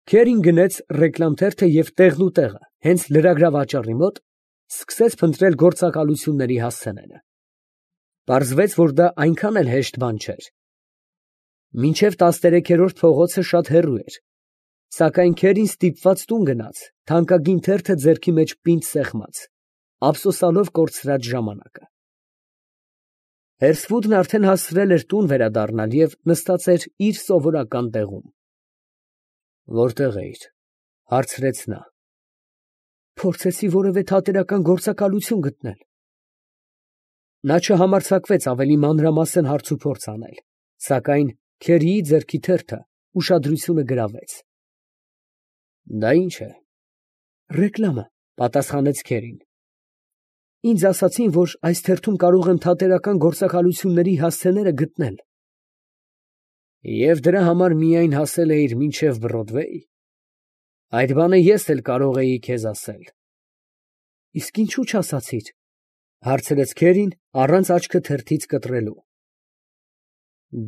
Քերին գնեց ռեկլամ թերթը և տեղնուտեղը, հենց լրագրավաճառի մոտ, սկսեց փնտրել գործակալությունների հասցեները. պարզվեց, որ դա այնքան էլ հեշտ բան չէր. մինչև 13-րդ փողոցը շատ հեռու էր, սակայն Քերին ստիպված տուն գնաց, թանկագին թերթը ձեռքի մեջ պինդ սեղմած, ափսոսալով կորցրած ժամանակը։ Հերսվուդն արդեն հասցրել էր տուն վերադառնալ և նստած էր իր սովորական տեղում։ «Որտե՞ղ էիր», ֊ հարցրեց նա։ «Փորձեցի որևէ թատերական գործակալություն գտնել»։ Նա չհամարձակվեց ավելի մանրամասն հարցուփորձ անել, սակայն Քերիի ձեռքի թերթը ուշադրությունը գրավեց։ «Դա ի՞նչ է»։ «Ռեկլամը», ֊ պատասխանեց Քերին։ «Ինձ ասացին, որ այս թերթում կարող եմ թատերական գործակալությունների հասցեները գտնել»։ «Եվ դրա համար միայն հասել էիր մինչև Բրոդվեյ։ Այդ բանը ես էլ կարող էի քեզ ասել»։ «Իսկ ինչու չասացիր», ֊ հարցրեց Քերին, առանց աչքը թերթից կտրելու։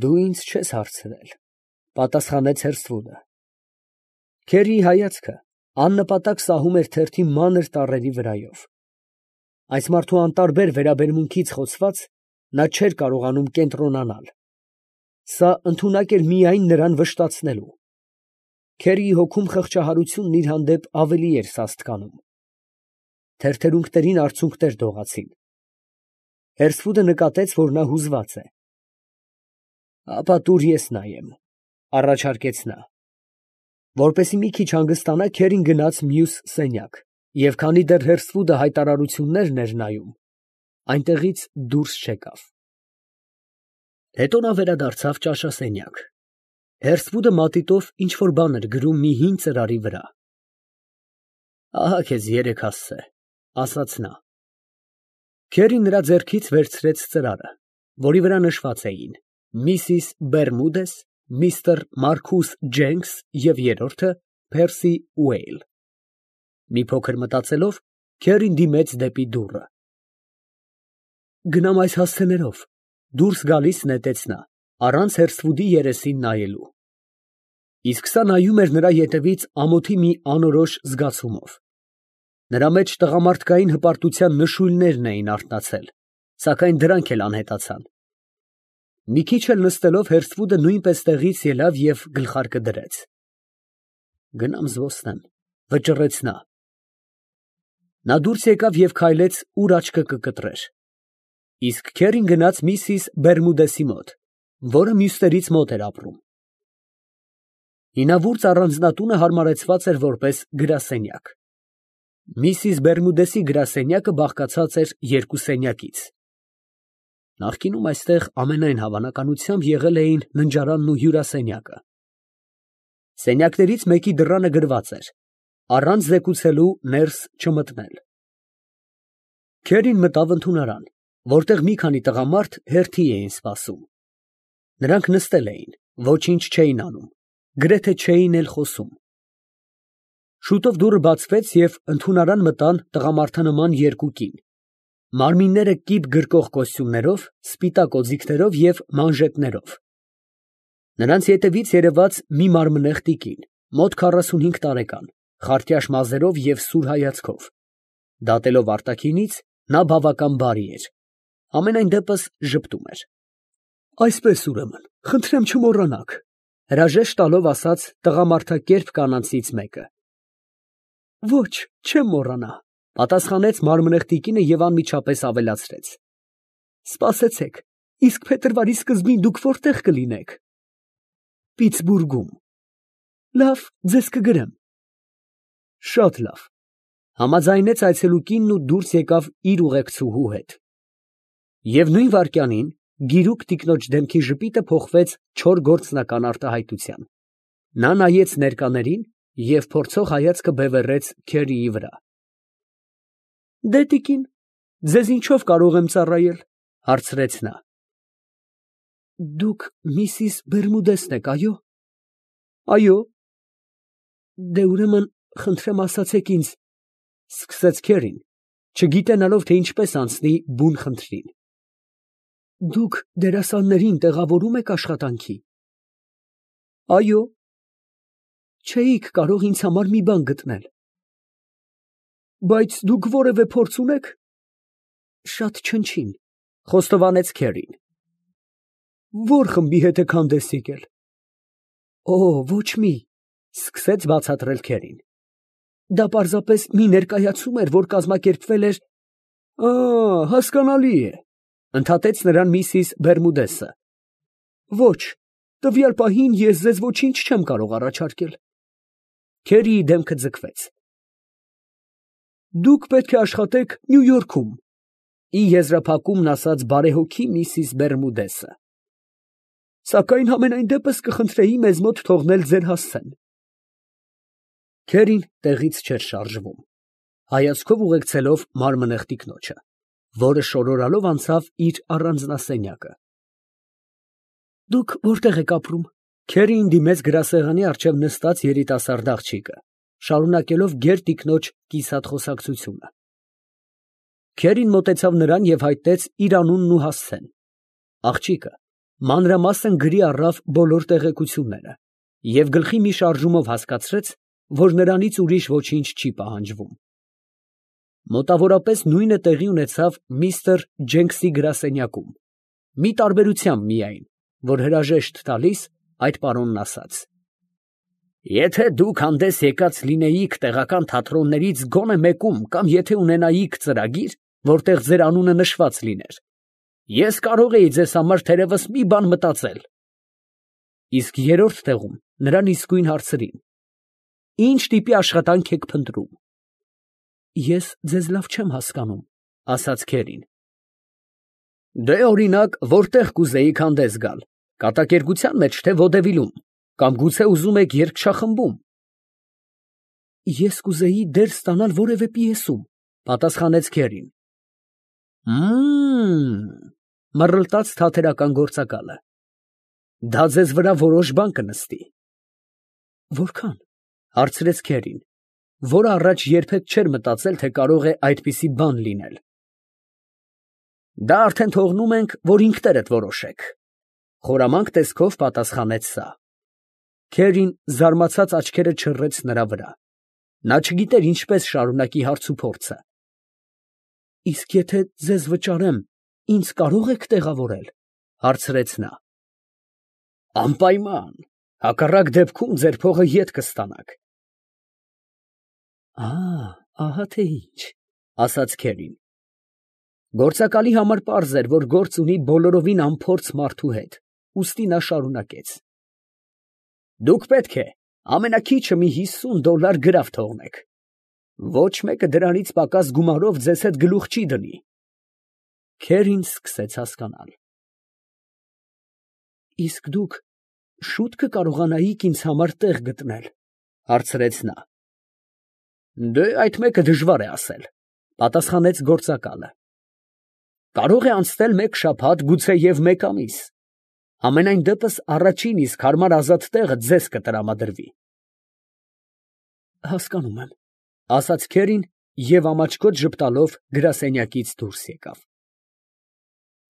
«Դու ինձ չես հարցրել», ֊ պատասխանեց Հերսվուդը։ Քերիի հայացքը աննպատակ սահում էր թերթի մանր տառերի վրայով։ Այս մարդու անտարբեր վերաբերմունքից խոցված, նա չէր կարողանում կենտրոնանալ։ Սա ընդունակ էր միայն նրան վշտացնելու։ Քերիի հոգում խղճահարությունն իր հանդեպ ավելի էր սաստկանում։ Թերթերունկներին արցունքներ դողացին։ Հերսվուդը նկատեց, որ նա հուզված է։ «Ապա տուր ես նայեմ», ֊ առաջարկեց նա։ Որպեսզի մի քիչ հանգստանա, Քերին գնաց մյուս սենյակ, և քանի դեռ Հերսվուդը հայտարարություններն էր նայում, այնտեղից դուրս չեկավ։ Հետո նա վերադարձավ ճաշասենյակ։ Հերսվուդը մատիտով ինչ֊որ բան էր գրում մի հին ծրարի վրա։ «Ահա քեզ 3 հասցե», ֊ ասաց նա։ Քերին նրա ձեռքից վերցրեց ծրարը, որի վրա նշված էին «Միսիս Բերմուդես», «Միսթր Մարքուս Ջենքս» և երրորդը «Փերսի Ուեյլ»։ Մի փոքր մտածելով, Քերին դիմեց դեպի դուռը։ «Գնամ այս հասցեներով», ֊ դուրս գալիս նետեց նա, առանց Հերսվուդի երեսին նայելու։ Իսկ սա նայում էր նրա ետևից ամոթի մի անորոշ զգացումով։ Նրա մեջ տղամարդկային հպարտության նշույլներն էին արթնացել, սակայն դրանք էլ անհետացան։ Մի քիչ էլ նստելով, Հերսվուդը նույնպես տեղից ելավ և գլխարկը դրեց։ «Գնամ զբոսնեմ», ֊ վճռեց նա։ Նա դուրս եկավ և քայլեց, ուր աչքը կկտրեր։ Իսկ Քերին գնաց միսիս Բերմուդեսի մոտ, որը մյուսներից մոտ էր ապրում։ Հինավուրց առանձնատունը հարմարեցված էր որպես գրասենյակ։ Միսիս Բերմուդեսի գրասենյակը բաղկացած էր 2 սենյակից։ Նախկինում այստեղ ամենայն հավանականությամբ եղել էին ննջարանն ու հյուրասենյակը։ Սենյակներից մեկի դռանը գրված էր. «Առանց զեկուցելու ներս չմտնել»։ Քերին մտավ ընդունարան, որտեղ մի քանի տղամարդ հերթի էին սպասում։ Նրանք նստել էին, ոչինչ չէին անում, գրեթե չէին էլ խոսում։ Շուտով դուռը բացվեց և ընդունարան մտան տղամարդանման 2 կին, մարմինները կիպ գրկող կոստյումներով, սպիտակ օձիքներով և մանժետներով։ Նրանց ետևից երևաց մի մարմնեղ տիկին, մոտ 45 տարեկան, խարտյաշ մազերով և սուր հայացքով։ Դատելով արտաքինից, նա բավական բարի էր, համենայն դեպս ժպտում էր։ «Այսպես, ուրեմն, խնդրեմ չմոռանաք», ֊ հրաժեշտ տալով ասաց տղամարդակերպ կանանցից մեկը։ «Ոչ, չեմ մոռանա», ֊ պատասխանեց մարմնեղ տիկինը և անմիջապես ավելացրեց. «Սպասեցեք, իսկ փետրվարի սկզբին դուք որտե՞ղ կլինեք»։ «Պիտսբուրգում»։ «Լավ, ձեզ կգրեմ»։ «Շատ լավ», ֊ համաձայնեց այցելու կինն ու դուրս եկավ իր ուղեկցուհու հետ։ Եվ նույն վայրկյանին գիրուկ տիկնոջ դեմքի ժպիտը փոխվեց չոր գործնական արտահայտության։ Նա նայեց ներկաներին և փորձող հայացքը բևեռեց Քերիի վրա։ «Դե տիկին, ձեզ ինչով կարող եմ ծառայել», ֊ հարցրեց նա։ «Դուք միսիս Բերմուդեսն եք, այո՞։ «Այո»։ «Դե ուրեմն, խնդրեմ ասացեք ինձ», ֊ սկսեց Քերին, չգիտենալով, թե ինչպես անցնի բուն խնդրին։ «Դուք դերասաններին տեղավորում եք աշխատանքի»։ «Այո»։ Չէիք կարող ինձ համար մի բան գտնել։ Բայց դուք որևէ փորձ ունեք։ Շատ չնչին, խոստովանեց Քերին։ Ո՞ր խմբի հետ եք հանդես եկել։ Օ, ոչ մի, սկսեց բացատրել Քերին։ Դա պարզապես մի ներկայացում էր, որ կազմակերպվել էր։ Հասկանալի է, ընդհատեց նրան միսիս Բերմուդեսը։ Ոչ, տվյալ պահին ես ձեզ ոչինչ չեմ կարող առաջարկել։ Քերիի դեմքը ձգվեց։ Դուք պետք է աշխատեք Նյու Յորքում, ի եզրափակումն ասաց բարեհոգի միսիս Բերմուդեսը։ Սակայն համենայն դեպս կխնդրեի մեզ մոտ թողնել ձեր հասցեն։ Քերին տեղից չէր շարժվում, հայացքով ուղեկցելով մարմնեղ տիկնոջը, որը շորորալով անցավ իր առանձնասենյակը։ Դուք որտեղ եք ապրում։ Քերին դիմեց գրասեղանի առջև նստած երիտասարդ աղջիկը, շարունակելով գեր տիկնոջ կիսատ խոսակցությունը։ Քերին մոտեցավ նրան և հայտնեց իր անունն ու հասցեն։ Աղջիկը մանրամասն գրի առավ բոլոր տեղեկությունները և գլխի մի շարժումով հասկացրեց, որ նրանից ուրիշ ոչինչ չի պահանջվում։ Մոտավորապես նույնը տեղի ունեցավ միստր Ջենքսի գրասենյակում, մի տարբերությամբ միայն, որ հրաժեշտ տալիս, այդ պարոնն ասաց. Եթե դուք հանդես եկած լինեիք տեղական թատրոններից գոնե մեկում կամ եթե ունենայիք ծրագիր, որտեղ ձեր անունը նշված լիներ, ես կարող էի ձեզ համար թերևս մի բան մտածել։ Իսկ երրորդ տեղում նրան իսկույն հարցրին. Ինչ տիպի աշխատանք եք փնտրում։ Ես ձեզ լավ չեմ հասկանում, ասաց Քերին։ Դե օրինակ, որտեղ կուզեիք հանդես գալ, կատակերգության մեջ թե ոդևիլում, կամ գուցե ուզում եք երգչախմբում։ Ես կուզեի դեր ստանալ որևէ պիեսում, պատասխանեց Քերին։ Մռլտաց թատերական գործակալը։ Դա ձեզ վրա որոշ բան կնստի։ Որքան, հարցրեց Քերին, որը առաջ երբեք չէր մտածել, թե կարող է այդպիսի բան լինել։ Դա արդեն թողնում ենք, որ ինքներդ որոշեք, խորամանկ տեսքով պատասխանեց սա։ Քերին զարմացած աչքերը չռեց նրա վրա։ Նա չգիտեր ինչպես շարունակի հարցուփորձը։ Իսկ եթե ձեզ վճարեմ, ինձ կարող եք տեղավորել, հարցրեց նա։ Անպայման, հակառակ դեպքում ձեր փողը ետ կստանաք։ Ահա թե ինչ, ասաց Քերին։ Գործակալի համար պարզ էր, որ գործ ունի բոլորովին անփորձ մարդու հետ, ուստի նա շարունակեց. Դուք պետք է ամենաքիչը մի $50 գրավ թողնեք։ Ոչ մեկը դրանից պակաս գումարով ձեզ հետ գլուխ չի դնի։ Քերին սկսեց հասկանալ։ Իսկ դուք շուտ կկարողանայիք ինձ համար տեղ գտնել, հարցրեց նա։ Դե այդ մեկը դժվար է ասել, պատասխանեց գործակալը։ Կարող է անցնել մեկ շաբաթ, գուցե և մեկ ամիս։ Համենայն դեպս առաջին իսկ հարմար ազատ տեղը ձեզ կտրամադրվի։ Հասկանում եմ, ասաց Քերին և ամաչկոտ ժպտալով գրասենյակից դուրս եկավ։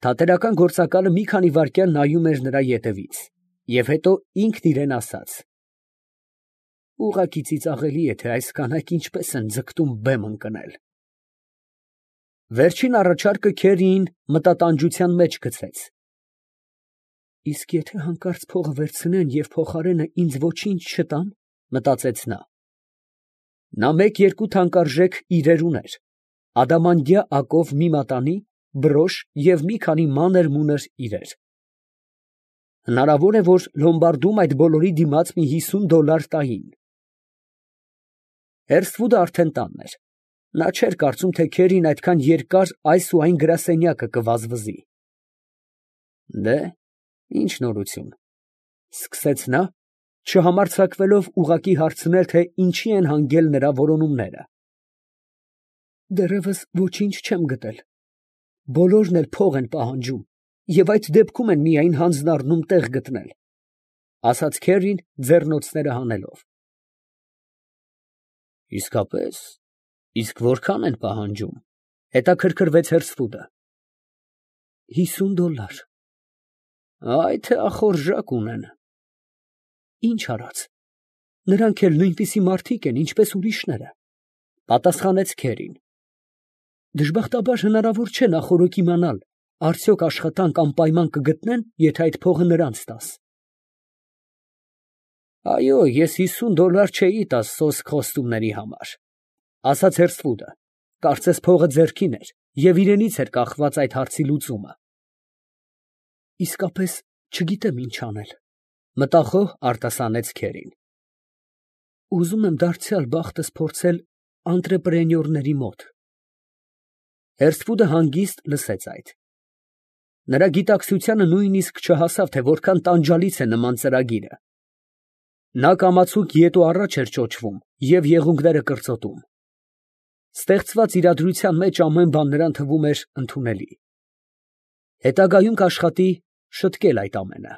Թատերական գործակալը մի քանի վայրկյան նայում էր նրա ետևից և հետո ինքն իրան ասաց. Ուղղակի ծիծաղելի է, թե այս կանայք ինչպես են ձգտում բեմ ընկնել։ Վերջին առաջարկը Քերիին մտատանջության մեջ գցեց։ Իսկ եթե հանկարծ փողը վերցնեն և փոխարենը ինձ ոչինչ չտան, մտածեց նա։ Նա մեկ-երկու թանկարժեք իրեր ուներ, ադամանդյա ակով մի մատանի, բրոշ և մի քանի մանր֊մունր իրեր։ Հնարավոր է, որ լոմբարդում այդ բոլորի դիմաց մի $50 տային։ Հերսթվուդը արդեն տանն էր։ Նա չէր կարծում, թե Քերին այդքան երկար այս ու այն գրասենյակը կվազվզի։ Դե, ինչ նորություն, սկսեց նա, չհամարձակվելով ուղղակի հարցնել, թե ինչի են հանգել նրա որոնումները։ Դեռևս ոչինչ չեմ գտել։ Բոլորն էլ փող են պահանջում, և այդ դեպքում են միայն հանձն առնում տեղ գտնել, ասաց Քերին ձեռնոցները հանելով։ Իսկապես, իսկ որքան են պահանջում, հետաքրքրվեց Հերսթվուդը։ $50։ Այ թե ախորժակ ունեն։ Ինչ արած, Նրանք էլ նույնպիսի մարդիկ են, ինչպես ուրիշները, պատասխանեց քերին։ Դժբախտաբար հնարավոր չէ նախօրոք իմանալ, արդյոք աշխատանք անպայման կգտնեն, եթե այդ փողը նրանց տաս։ Այո, ես $50 չէի տա սոսկ խոստումների համար, ասաց Հերսթվուդը, կարծես փողը ձեռքին էր և իրենից էր կախված այդ հարցի լուծումը։ Իսկապես չգիտեմ ինչ անել, մտախոհ արտասանեց քերին։ Ուզում եմ դարձյալ բախտս փորձել անտրեպրենյորների մոտ։ Հերսթվուդը հանգիստ լսեց այդ։ Նրա գիտակցությանը նույնիսկ չհասավ, թե որքան տանջալից է նման ծրագիրը։ Նա կամացուկ ետ ու առաջ էր ճոճվում և եղունգները կրծոտում։ Ստեղծված իրադրության մեջ ամեն բան նրան թվում էր ընդունելի։ Հետագայում կաշխատի շտկել այդ ամենը։